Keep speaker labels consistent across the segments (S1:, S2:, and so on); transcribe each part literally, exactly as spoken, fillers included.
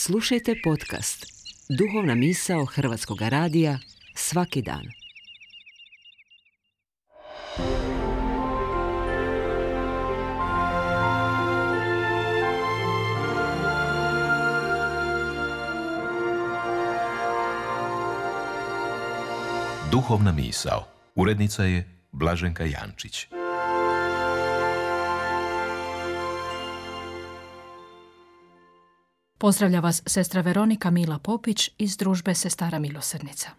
S1: Slušajte podcast Duhovna misao Hrvatskog radija svaki dan.
S2: Duhovna misao. Urednica je Blaženka Jančić.
S3: Pozdravlja vas sestra Veronika Mila Popić iz družbe Sestara milosrdnica.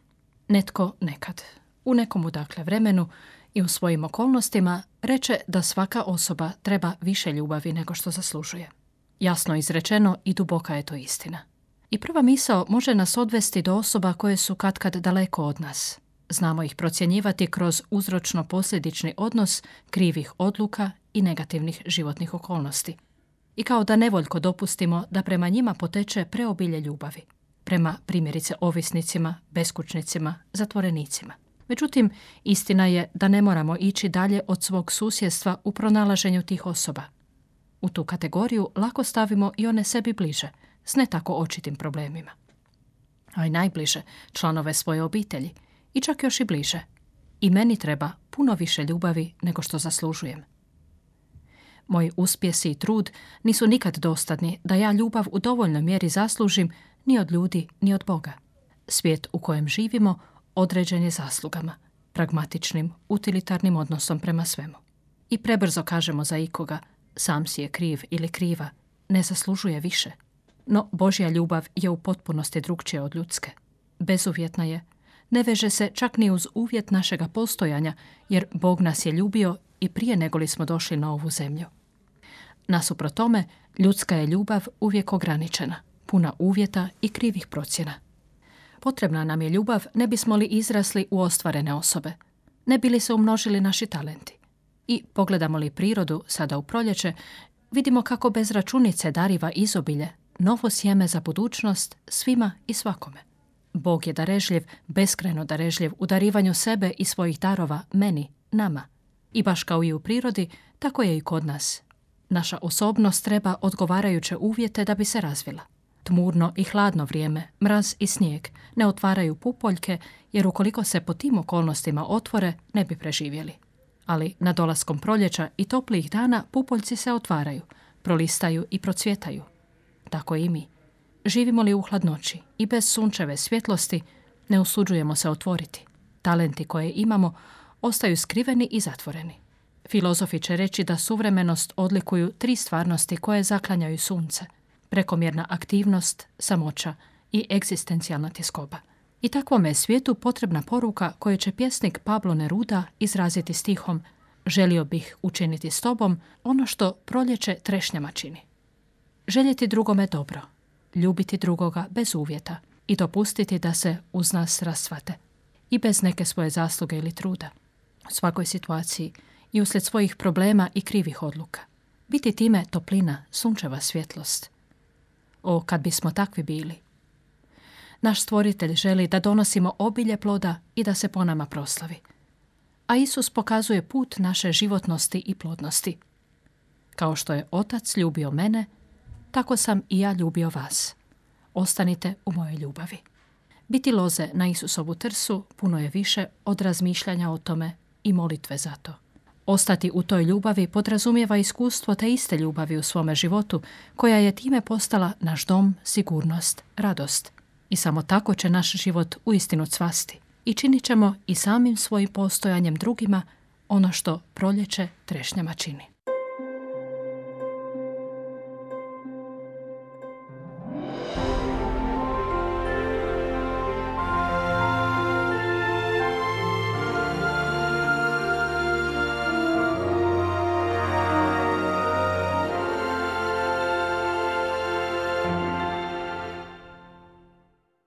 S3: Netko nekad, u nekom dakle vremenu i u svojim okolnostima, reče da svaka osoba treba više ljubavi nego što zaslužuje. Jasno izrečeno i duboka je to istina. I prva misao može nas odvesti do osoba koje su katkad daleko od nas. Znamo ih procjenjivati kroz uzročno-posljedični odnos krivih odluka i negativnih životnih okolnosti. I kao da nevoljko dopustimo da prema njima poteče preobilje ljubavi. Prema primjerice ovisnicima, beskućnicima, zatvorenicima. Međutim, istina je da ne moramo ići dalje od svog susjedstva u pronalaženju tih osoba. U tu kategoriju lako stavimo i one sebi bliže, s ne tako očitim problemima. A i najbliže, članove svoje obitelji. I čak još i bliže. I meni treba puno više ljubavi nego što zaslužujem. Moji uspjesi i trud nisu nikad dostatni da ja ljubav u dovoljnoj mjeri zaslužim ni od ljudi, ni od Boga. Svijet u kojem živimo određen je zaslugama, pragmatičnim, utilitarnim odnosom prema svemu. I prebrzo kažemo za ikoga, sam si je kriv ili kriva, ne zaslužuje više. No Božja ljubav je u potpunosti drukčija od ljudske. Bezuvjetna je, ne veže se čak ni uz uvjet našega postojanja, jer Bog nas je ljubio i prije nego li smo došli na ovu zemlju. Nasuprot tome, ljudska je ljubav uvijek ograničena, puna uvjeta i krivih procjena. Potrebna nam je ljubav ne bismo li izrasli u ostvarene osobe, ne bi li se umnožili naši talenti. I pogledamo li prirodu sada u proljeće, vidimo kako bez računice dariva izobilje, novo sjeme za budućnost svima i svakome. Bog je darežljiv, beskrajno darežljiv u darivanju sebe i svojih darova meni, nama. I baš kao i u prirodi, tako je i kod nas. Naša osobnost treba odgovarajuće uvjete da bi se razvila. Tmurno i hladno vrijeme, mraz i snijeg ne otvaraju pupoljke, jer ukoliko se po tim okolnostima otvore, ne bi preživjeli. Ali na dolaskom proljeća i toplijih dana pupoljci se otvaraju, prolistaju i procvjetaju. Tako i mi. Živimo li u hladnoći i bez sunčeve svjetlosti, ne usuđujemo se otvoriti. Talenti koje imamo ostaju skriveni i zatvoreni. Filozofi će reći da suvremenost odlikuju tri stvarnosti koje zaklanjaju sunce. Prekomjerna aktivnost, samoća i egzistencijalna tjeskoba. I takvome je svijetu potrebna poruka koju će pjesnik Pablo Neruda izraziti stihom: želio bih učiniti s tobom ono što proljeće trešnjama čini. Željeti drugome dobro, ljubiti drugoga bez uvjeta i dopustiti da se uz nas rasvate. I bez neke svoje zasluge ili truda. U svakoj situaciji i uslijed svojih problema i krivih odluka. Biti time toplina, sunčeva svjetlost. O, kad bismo takvi bili. Naš stvoritelj želi da donosimo obilje ploda i da se po nama proslavi. A Isus pokazuje put naše životnosti i plodnosti. Kao što je Otac ljubio mene, tako sam i ja ljubio vas. Ostanite u mojoj ljubavi. Biti loze na Isusovu trsu puno je više od razmišljanja o tome i molitve za to. Ostati u toj ljubavi podrazumijeva iskustvo te iste ljubavi u svome životu, koja je time postala naš dom, sigurnost, radost. I samo tako će naš život uistinu cvasti. I činit ćemo i samim svojim postojanjem drugima ono što proljeće trešnjama čini.